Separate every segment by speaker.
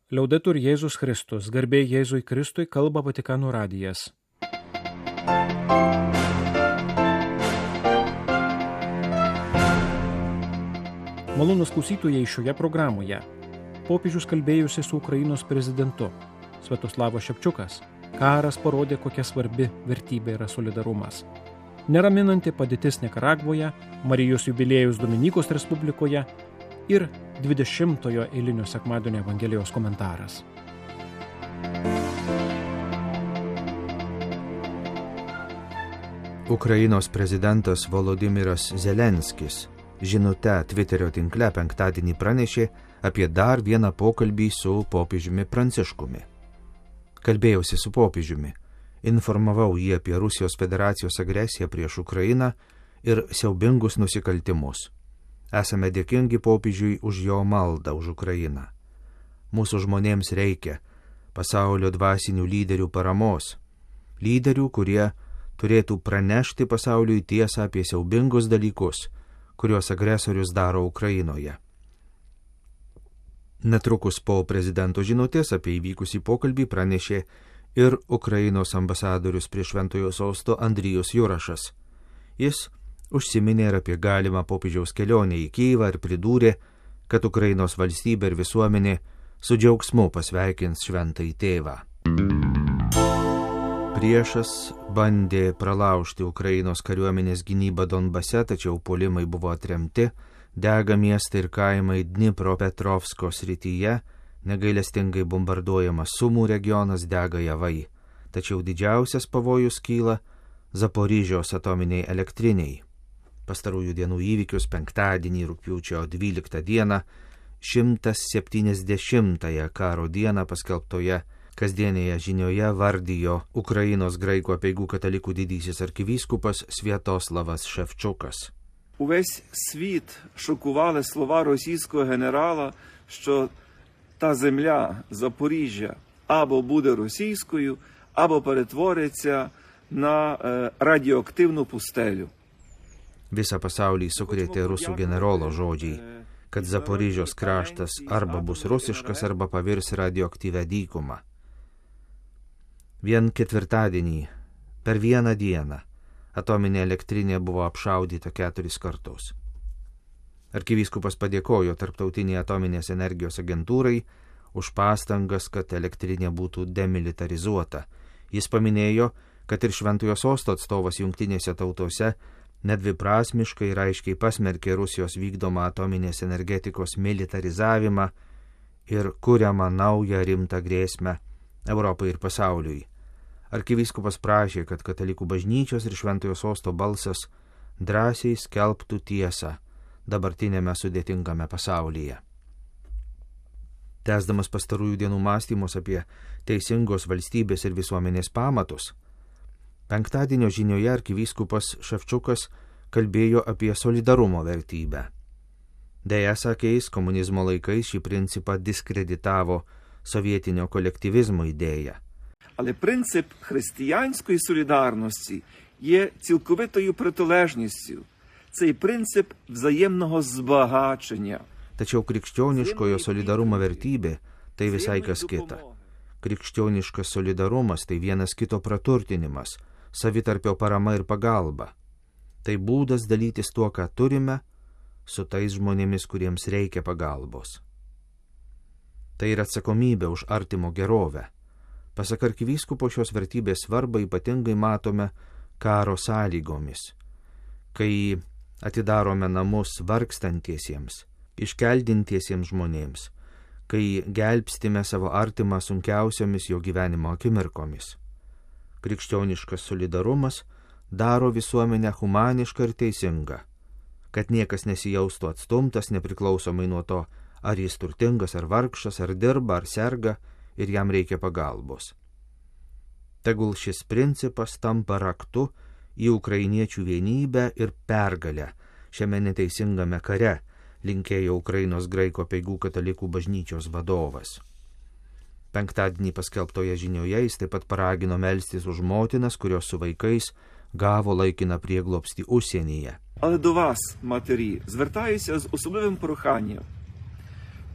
Speaker 1: Liaudetur Jėzus Kristus, garbė Jėzui Kristui, kalba Vatikano radijas. Malonūs klausytojai, šioje programoje popiežius kalbėjusi su Ukrainos prezidentu Sviatoslavas Ševčiukas. Karas parodė, kokia svarbi vertybė yra solidarumas. Neraminanti padėtis Nikaragvoje, Marijos jubiliejus Dominikos Respublikoje ir 20-ojo eilinio sekmadienio Evangelijos komentaras.
Speaker 2: Ukrainos prezidentas Volodymyras Zelenskis žinute Twitterio tinkle penktadienį pranešė apie dar vieną pokalbį su popiežiumi Pranciškumi. Kalbėjausi su popiežiumi, informavau jį apie Rusijos federacijos agresiją prieš Ukrainą ir siaubingus nusikaltimus. Esame dėkingi popiežiui už jo maldą už Ukrainą. Mūsų žmonėms reikia pasaulio dvasinių lyderių paramos, lyderių, kurie turėtų pranešti pasauliui tiesą apie siaubingus dalykus, kuriuos agresorius daro Ukrainoje. Netrukus po prezidento žinutės apie įvykusį pokalbį pranešė ir Ukrainos ambasadorius prie Šventojo sosto Andrijus Jurašas. Jis užsiminė ir apie galimą popiežiaus kelionę į Kyjivą ir pridūrė, kad Ukrainos valstybė ir visuomenė su džiaugsmu pasveikins šventąjį tėvą. Priešas bandė pralaužti Ukrainos kariuomenės gynybą Donbase, tačiau puolimai buvo atremti, dega miestai ir kaimai Dnipropetrovsko srityje, negailestingai bombarduojamas Sumų regionas, dega javai. Tačiau didžiausias pavojus kyla Zaporižiaus atominiai elektriniai. Pastarųjų dienų įvykius penktadienį rugpjūčio 12 dieną, 170-ąją karo dieną paskelbtoje kasdienėje žinioje vardijo Ukrainos graikų apeigų katalikų didysis arkivyskupas Sviatoslavas Шевчуkas.
Speaker 3: Увесь світ шокували слова російського генерала, що та земля Запоріжжя або буде російською, або перетвориться на радіоактивну пустелю.
Speaker 2: Visą pasaulį sukrėtė rusų generolo žodžiai, kad Zaporižiaus kraštas arba bus rusiškas, arba pavirs radioaktyvę dykumą. Vien ketvirtadienį, per vieną dieną, atominė elektrinė buvo apšaudyta 4 kartus. Arkivyskupas padėkojo Tarptautinei atominės energijos agentūrai už pastangas, kad elektrinė būtų demilitarizuota. Jis paminėjo, kad ir Šventojo sosto atstovas Jungtinėse tautose nedviprasmiškai ir aiškiai pasmerkė Rusijos vykdomą atominės energetikos militarizavimą ir kuriamą naują rimtą grėsmę Europai ir pasauliui. Arkivyskupas prašė, kad katalikų bažnyčios ir Šventojo sosto balsas drąsiai skelbtų tiesą dabartinėme sudėtingame pasaulyje. Tęsdamas pastarųjų dienų mąstymus apie teisingos valstybės ir visuomenės pamatus, penktadienio žinioje arkivyskupas Ševčiukas kalbėjo apie solidarumo vertybę. Deja, sakė jis, komunizmo laikais šį principą diskreditavo sovietinio kolektyvizmo idėja.
Speaker 3: Але принцип християнської солідарності є цілковитою протилежністю. Цей принцип взаємного збагачення.
Speaker 2: Tačiau krikščioniškojo solidarumo vertybė tai visai kas kita. Krikščioniškas solidarumas tai vienas kito praturtinimas, savitarpio parama ir pagalba. Tai būdas dalytis tuo, ką turime, su tais žmonėmis, kuriems reikia pagalbos. Tai yra atsakomybė už artimo gerovę. Pasak arkivyskupo, šios vertybės svarbą ypatingai matome karo sąlygomis, kai atidarome namus vargstantiesiems, iškeldintiesiems žmonėms, kai gelbstime savo artimą sunkiausiomis jo gyvenimo akimirkomis. Krikščioniškas solidarumas daro visuomenę humanišką ir teisingą, kad niekas nesijaustų atstumtas nepriklausomai nuo to, ar jis turtingas, ar vargšas, ar dirba, ar serga ir jam reikia pagalbos. Tegul šis principas tampa raktu į ukrainiečių vienybę ir pergalę šiame neteisingame kare, linkėjo Ukrainos graikų apeigų katalikų bažnyčios vadovas. Penktadienį paskelbtoje žinioje jis taip pat paragino melstis už motinas, kurios su vaikais gavo laikiną prieglobstį užsienyje.
Speaker 3: Але до вас, матері, звертаюся з особливим проханням.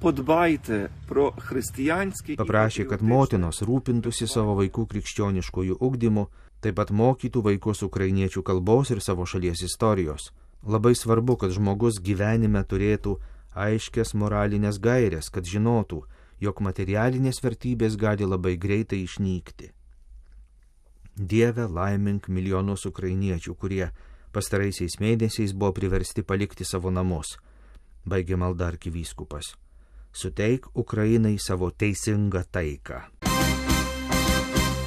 Speaker 3: Подбайте про християнський...
Speaker 2: Paprašė, kad motinos rūpintųsi savo vaikų krikščioniškojų ugdymu, taip pat mokytų vaikus ukrainiečių kalbos ir savo šalies istorijos. Labai svarbu, kad žmogus gyvenime turėtų aiškias moralinės gairės, kad žinotų, jog materialinės vertybės gali labai greitai išnykti. Dieve, laimink milijonus ukrainiečių, kurie pastaraisiais mėnesiais buvo priversti palikti savo namus, baigė malda arkivyskupas. Suteik Ukrainai savo teisingą taiką.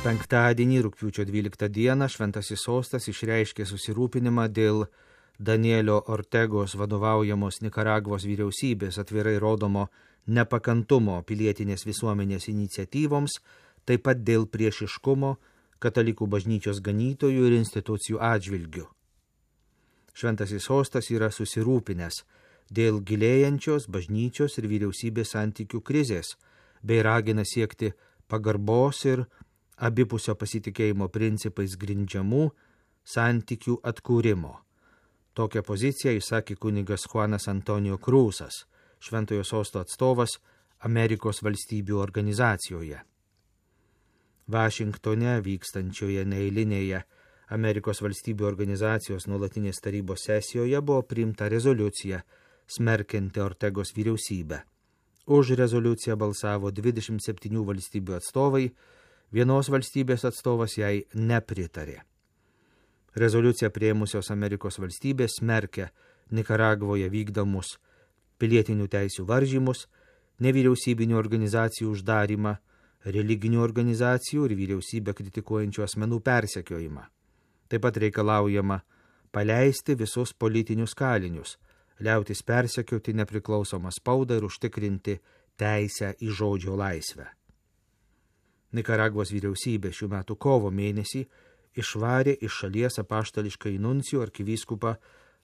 Speaker 2: Penktadienį, rugpjūčio 12 dieną, Šventasis Sostas išreiškė susirūpinimą dėl Danielio Ortegos vadovaujamos Nikaragvos vyriausybės atvirai rodomo nepakantumo pilietinės visuomenės iniciatyvoms, taip pat dėl priešiškumo katalikų bažnyčios ganytojų ir institucijų atžvilgių. Šventasis Sostas yra susirūpinęs dėl gilėjančios bažnyčios ir vyriausybės santykių krizės, bei ragina siekti pagarbos ir abipusio pasitikėjimo principais grindžiamų santykių atkūrimo. Tokią poziciją išsakė kunigas Juanas Antonijo Krūsas, Šventojo Sosto atstovas Amerikos valstybių organizacijoje. Vašingtone vykstančioje neeilinėje Amerikos valstybių organizacijos nuolatinės tarybos sesijoje buvo priimta rezoliucija smerkianti Ortegos vyriausybę. Už rezoliuciją balsavo 27 valstybių atstovai, vienos valstybės atstovas jai nepritarė. Rezoliuciją priėmusios Amerikos valstybės smerkia Nikaragvoje vykdomus pilietinių teisių varžymus, nevyriausybinių organizacijų uždarimą, religinių organizacijų ir vyriausybę kritikuojančių asmenų persekiojimą. Taip pat reikalaujama paleisti visus politinius kalinius, liautis persekioti nepriklausomą spaudą ir užtikrinti teisę į žodžio laisvę. Nikaragvos vyriausybė šių metų kovo mėnesį išvarė iš šalies apaštališką nuncijų arkivyskupą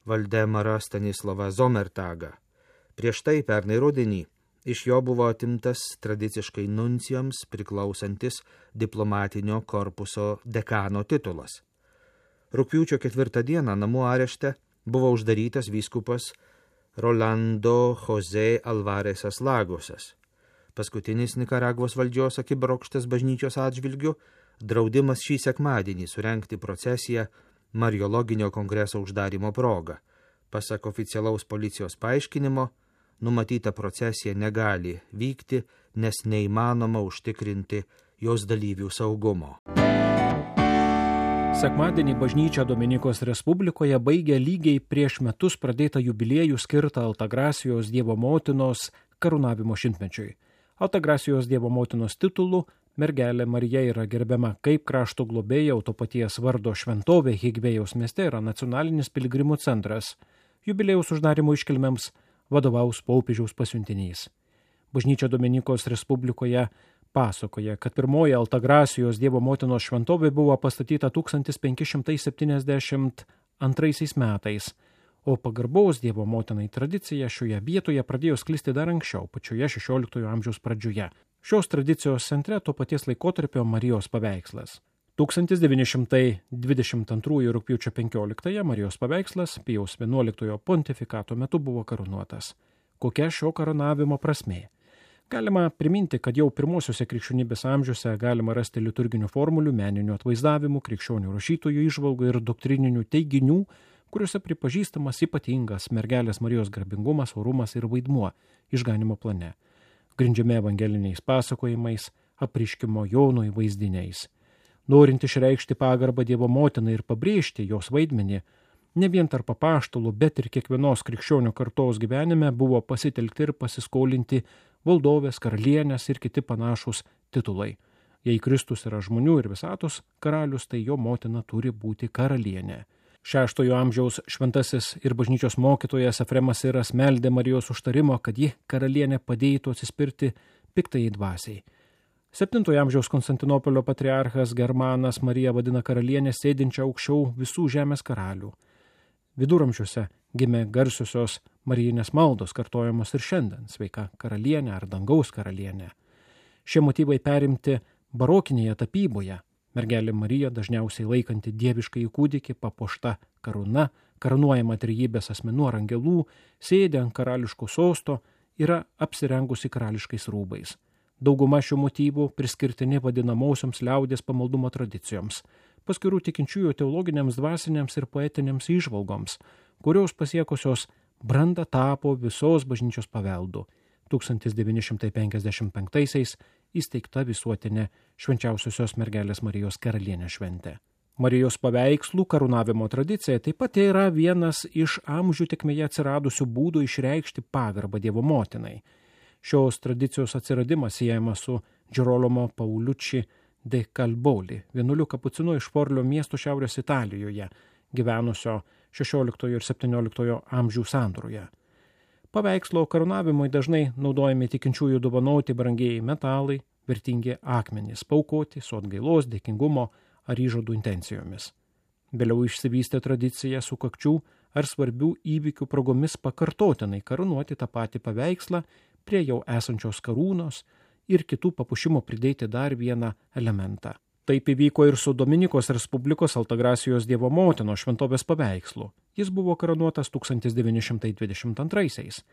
Speaker 2: Valdemarą Stanislavą Zomertagą. Prieš tai pernai rudenį iš jo buvo atimtas tradiciškai nuncijams priklausantis diplomatinio korpuso dekano titulas. Rugpjūčio 4 dieną namų arešte buvo uždarytas vyskupas Rolando José Alvarezas Lagosas. Paskutinis Nikaragvos valdžios akibrokštas bažnyčios atžvilgių draudimas šį sekmadienį surengti procesiją Mariologinio kongreso uždarimo proga. Pasak oficialaus policijos paaiškinimo, numatyta procesija negali vykti, nes neįmanoma užtikrinti jos dalyvių saugumo.
Speaker 1: Sekmadienį bažnyčia Dominikos Respublikoje baigė lygiai prieš metus pradėtą jubiliejų skirtą Altagrasijos Dievo motinos karūnavimo šimtmečiui. Altagrasijos Dievo motinos titulu mergelė Marija yra gerbiama kaip krašto globėja, o to paties vardo šventovė Higvėjaus mieste yra nacionalinis piligrimų centras. Jubiliejaus uždarimo iškilmėms vadovaus popiežiaus pasiuntinys. Bažnyčia Dominikos Respublikoje pasakoja, kad pirmoji Altagrasijos Dievo motinos šventovė buvo pastatyta 1572 metais, o pagarbos Dievo motinai tradicija šioje vietoje pradėjo sklisti dar anksčiau, pačioje 16 amžiaus pradžioje. Šios tradicijos centre to paties laikotarpio Marijos paveikslas. 1922 rugpjūčio 15 Marijos paveikslas Pijaus XI pontifikato metu buvo karūnuotas. Kokia šio karūnavimo prasmė? Galima priminti, kad jau pirmosiuose krikščionybės amžiuose galima rasti liturginių formulių, meninių atvaizdavimų, krikščionių rašytojų įžvalgų ir doktrininių teiginių, kuriuose pripažįstamas ypatingas mergelės Marijos garbingumas, orumas ir vaidmuo išganimo plane, grindžiami evangeliniais pasakojimais, apreiškimo Jonui vaizdiniais. Norint išreikšti pagarbą Dievo motinai ir pabrėžti jos vaidmenį, ne vien tarp apaštalų, bet ir kiekvienos krikščionių kartos gyvenime buvo pasitelkti ir pasiskolinti valdovės, karalienės ir kiti panašūs titulai. Jei Kristus yra žmonių ir visatos karalius, tai jo motina turi būti karalienė. 6 amžiaus šventasis ir bažnyčios mokytojas Efremas Siras meldė Marijos užtarimo, kad ji karalienė padėtų atsispirti piktai dvasiai. 7 amžiaus Konstantinopolio patriarchas Germanas Mariją vadina karalienę sėdinčią aukščiau visų žemės karalių. Viduramžiuose gimė garsiosios marijinės maldos, kartojamos ir šiandien, sveika karalienė ar dangaus karalienė. Šie motyvai perimti barokinėje tapyboje. Mergelė Marija, dažniausiai laikanti dieviškąjį kūdikį, papuošta karūna, karūnuojama trejybės asmenų ar angelų, sėdi ant karališko sosto yra apsirengusi karališkais rūbais. Dauguma šių motyvų priskirtini vadinamosioms liaudės pamaldumo tradicijoms, paskirų tikinčiųjų teologiniams, dvasiniams ir poetiniams įžvalgoms, kurios pasiekusios brandą tapo visos bažnyčios paveldu. 1955 įsteigta visuotinė Švenčiausiosios mergelės Marijos karalienės šventė. Marijos paveikslų karūnavimo tradicija taip pat yra vienas iš amžių tėkmėje atsiradusių būdų išreikšti pagarbą Dievo motinai. Šios tradicijos atsiradimas siejamas su Girolamo Paulucci de Calboli, vienuoliu kapucinu iš Forlio miesto šiaurės Italijoje, gyvenusio 16 ir 17 amžių sandūroje. Paveikslo karūnavimui dažnai naudojami tikinčiųjų dovanoti brangieji metalai, vertingi akmenys, paaukoti su atgailos, dėkingumo ar įžadų intencijomis. Vėliau išsivystė tradicija sukakčių ar svarbių įvykių progomis pakartotinai karūnuoti tą patį paveikslą prie jau esančios karūnos ir kitų papuošimo pridėti dar vieną elementą. Taip įvyko ir su Dominikos Respublikos Altagrasijos Dievo motinos šventovės paveikslu. Jis buvo karūnuotas 1922,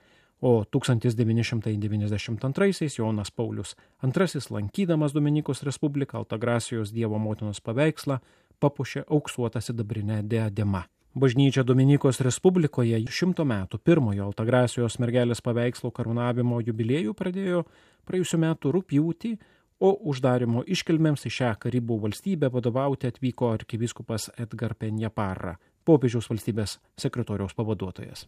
Speaker 1: o 1992 Jonas Paulius II, lankydamas Dominikos Respubliką Altagrasijos Dievo motinos paveikslą, papuošė auksuotą sidabrinę diademą. Bažnyčia Dominikos Respublikoje 100 metų pirmojo Altagrasijos mergelės paveikslo karūnavimo jubiliejų pradėjo praėjusiu metu rugpjūtį, o uždarimo iškilmėms į šią Karibų valstybę vadovauti atvyko arkivyskupas Edgar Peña-Parra, popiežiaus valstybės sekretoriaus pavaduotojas.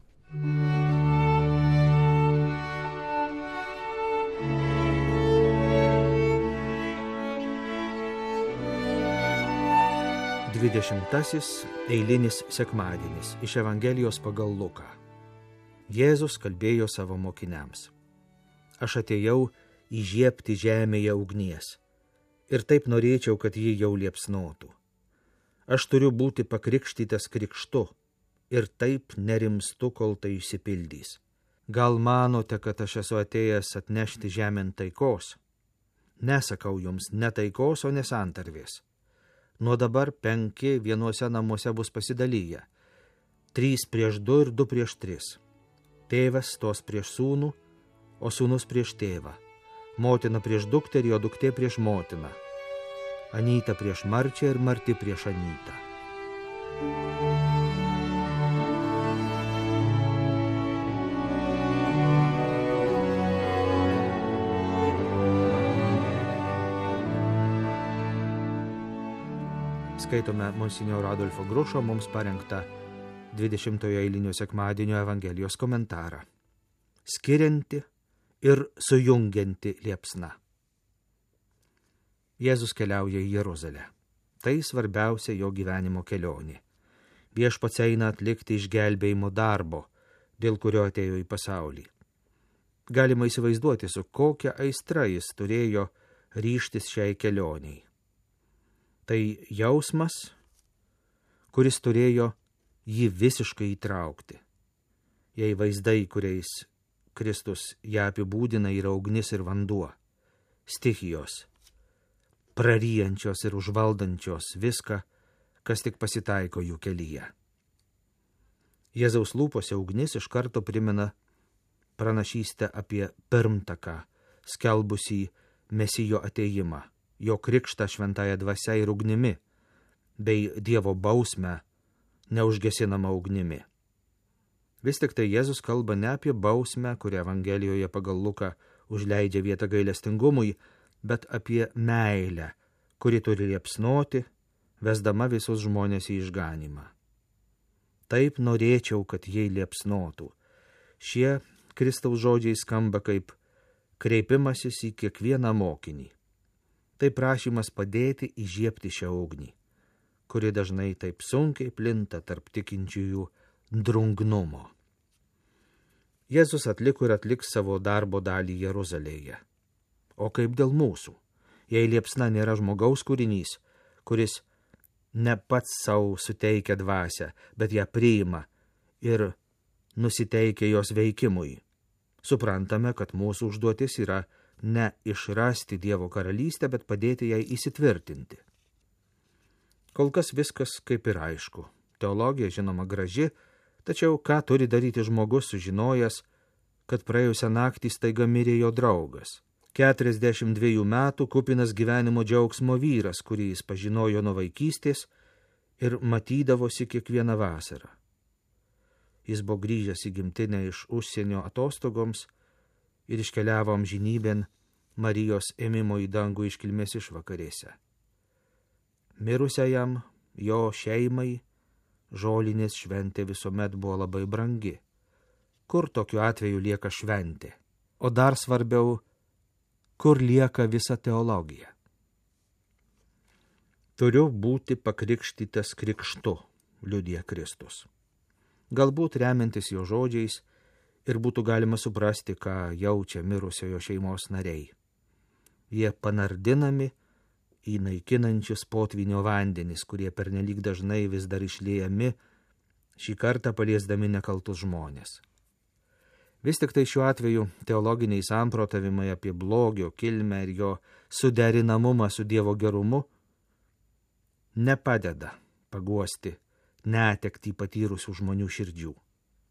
Speaker 2: Dvidešimtasis eilinis sekmadienis iš Evangelijos pagal Luką. Jėzus kalbėjo savo mokiniams: Aš atėjau įžiebti žemėje ugnies, ir taip norėčiau, kad ji jau liepsnotų. Aš turiu būti pakrikštytas krikštu, ir taip nerimstu, kol tai išsipildys. Gal manote, kad aš esu atėjęs atnešti žemėn taikos? Nesakau jums ne taikos, o nesantarvės. Nuo dabar 5 vienuose namuose bus pasidalyję, 3 prieš 2 ir 2 prieš 3. Tėvas stos prieš sūnų, o sūnus prieš tėvą. Motina prieš dukterį, o duktė prieš motiną. Anyta prieš marčią ir marti prieš anytą. Skaitome monsinjoro Adolfo Grušo mums parengtą 20-ojo eilinio sekmadienio Evangelijos komentarą. Skirianti ir sujungianti liepsna. Jėzus keliauja į Jeruzalę. Tai svarbiausia jo gyvenimo kelionė. Viešpats eina atlikti išgelbėjimo darbo, dėl kurio atėjo į pasaulį. Galima įsivaizduoti, su kokia aistra jis turėjo ryžtis šiai kelioniai. Tai jausmas, kuris turėjo jį visiškai įtraukti. Jei vaizdai, kuriais Kristus ją apibūdina, yra ugnis ir vanduo, stichijos, praryjančios ir užvaldančios viską, kas tik pasitaiko jų kelyje. Jėzaus lūpose ugnis iš karto primena pranašystę apie pirmtaką, skelbusį Mesijo atėjimą, jo krikštą šventąja dvasia ir ugnimi, bei Dievo bausmę neužgesinamą ugnimi. Vis tik tai Jėzus kalba ne apie bausmę, kurią Evangelijoje pagal Luką užleidžia vietą gailestingumui, bet apie meilę, kuri turi liepsnoti, vesdama visus žmonės į išganymą. Taip norėčiau, kad jie liepsnotų. Šie Kristaus žodžiai skamba kaip kreipimasis į kiekvieną mokinį. Tai prašymas padėti įžiebti šią ugnį, kuri dažnai taip sunkiai plinta tarp tikinčiųjų drungnumo. Jėzus atliko ir atliks savo darbo dalį Jeruzalėje. O kaip dėl mūsų? Jei liepsna nėra žmogaus kūrinys, kuris ne pats savo suteikia dvasią, bet ją priima ir nusiteikia jos veikimui, suprantame, kad mūsų užduotis yra ne išrasti Dievo karalystę, bet padėti jai įsitvirtinti. Kol kas viskas kaip ir aišku. Teologija žinoma graži, tačiau ką turi daryti žmogus sužinojęs, kad praėjusią naktį staiga mirė jo draugas. 42 metų kupinas gyvenimo džiaugsmo vyras, kurį jis pažinojo nuo vaikystės ir matydavosi kiekvieną vasarą. Jis buvo grįžęs į gimtinę iš užsienio atostogoms ir iškeliavo amžinybėn Marijos ėmimo į dangų iškilmės išvakarėse. Mirusiajam, jo šeimai, žolinės šventė visuomet buvo labai brangi. Kur tokiu atveju lieka šventė? O dar svarbiau, kur lieka visa teologija? Turiu būti pakrikštytas krikštu, liudija Kristus. Galbūt remiantis jo žodžiais ir būtų galima suprasti, ką jaučia mirusiojo šeimos nariai. Jie panardinami į naikinančius potvynio vandenis, kurie pernelyg dažnai vis dar išliejami, šį kartą paliesdami nekaltus žmonės. Vis tik tai šiuo atveju teologiniai samprotavimai apie blogio kilmę ir jo suderinamumą su Dievo gerumu nepadeda paguosti netektį patyrusių žmonių širdžių.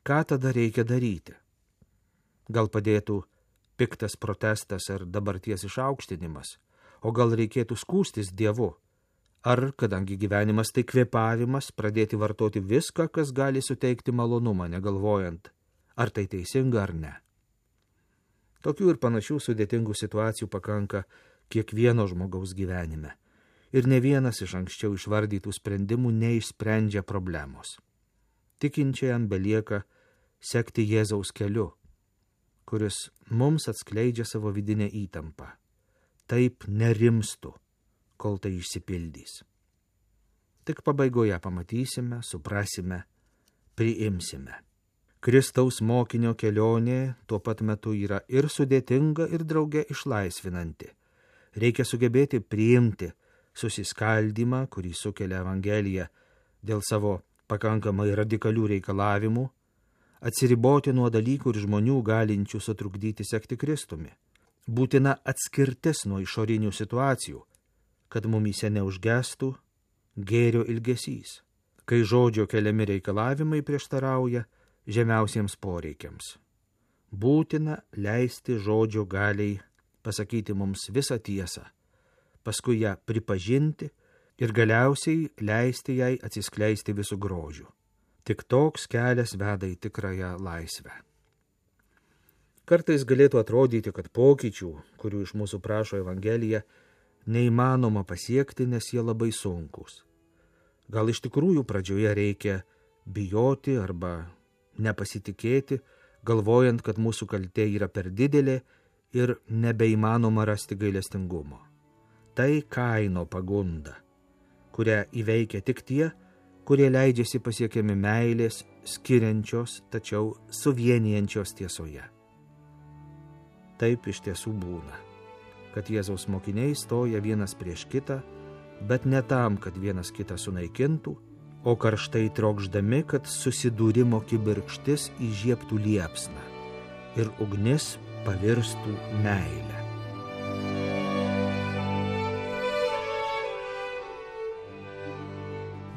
Speaker 2: Ką tada reikia daryti? Gal padėtų piktas protestas ar dabarties išaukštinimas, o gal reikėtų skųstis Dievu? Ar, kadangi gyvenimas tai kvėpavimas, pradėti vartoti viską, kas gali suteikti malonumą, negalvojant, ar tai teisinga ar ne? Tokių ir panašių sudėtingų situacijų pakanka kiekvieno žmogaus gyvenime. Ir ne vienas iš anksčiau išvardytų sprendimų neišsprendžia problemos. Tikinčiajam belieka sekti Jėzaus keliu, kuris mums atskleidžia savo vidinę įtampą. Taip nerimstu, kol tai išsipildys. Tik pabaigoje pamatysime, suprasime, priimsime. Kristaus mokinio kelionė tuo pat metu yra ir sudėtinga, ir drauge išlaisvinanti. Reikia sugebėti priimti susiskaldymą, kurį sukelia Evangelija dėl savo pakankamai radikalių reikalavimų, atsiriboti nuo dalykų ir žmonių galinčių sutrukdyti sekti Kristumi. Būtina atskirtis nuo išorinių situacijų, kad mumyse neužgestų gėrio ilgesys, kai žodžio keliami reikalavimai prieštarauja žemiausiems poreikiams. Būtina leisti žodžio galiai pasakyti mums visą tiesą, paskui ją pripažinti ir galiausiai leisti jai atsiskleisti visų grožių. Tik toks kelias veda į tikrąją laisvę. Kartais galėtų atrodyti, kad pokyčių, kurių iš mūsų prašo Evangelija, neįmanoma pasiekti, nes jie labai sunkus. Gal iš tikrųjų pradžioje reikia bijoti arba nepasitikėti, galvojant, kad mūsų kaltė yra per didelė ir nebeįmanoma rasti gailestingumo. Tai Kaino pagunda, kurią įveikia tik tie, kurie leidžiasi pasiekiami meilės, skiriančios, tačiau suvienijančios tiesoje. Taip iš tiesų būna, kad Jėzaus mokiniai stoja vienas prieš kitą, bet ne tam, kad vienas kitą sunaikintų, o karštai trokšdami, kad susidūrimo kibirkštis įžiebtų liepsną ir ugnis pavirstų meilę.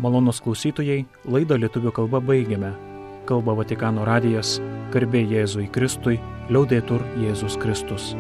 Speaker 1: Malonūs klausytojai, laidą lietuvių kalba baigiame. Kalba Vatikano radijas, garbė Jėzui Kristui, liaudetur Jėzus Kristus.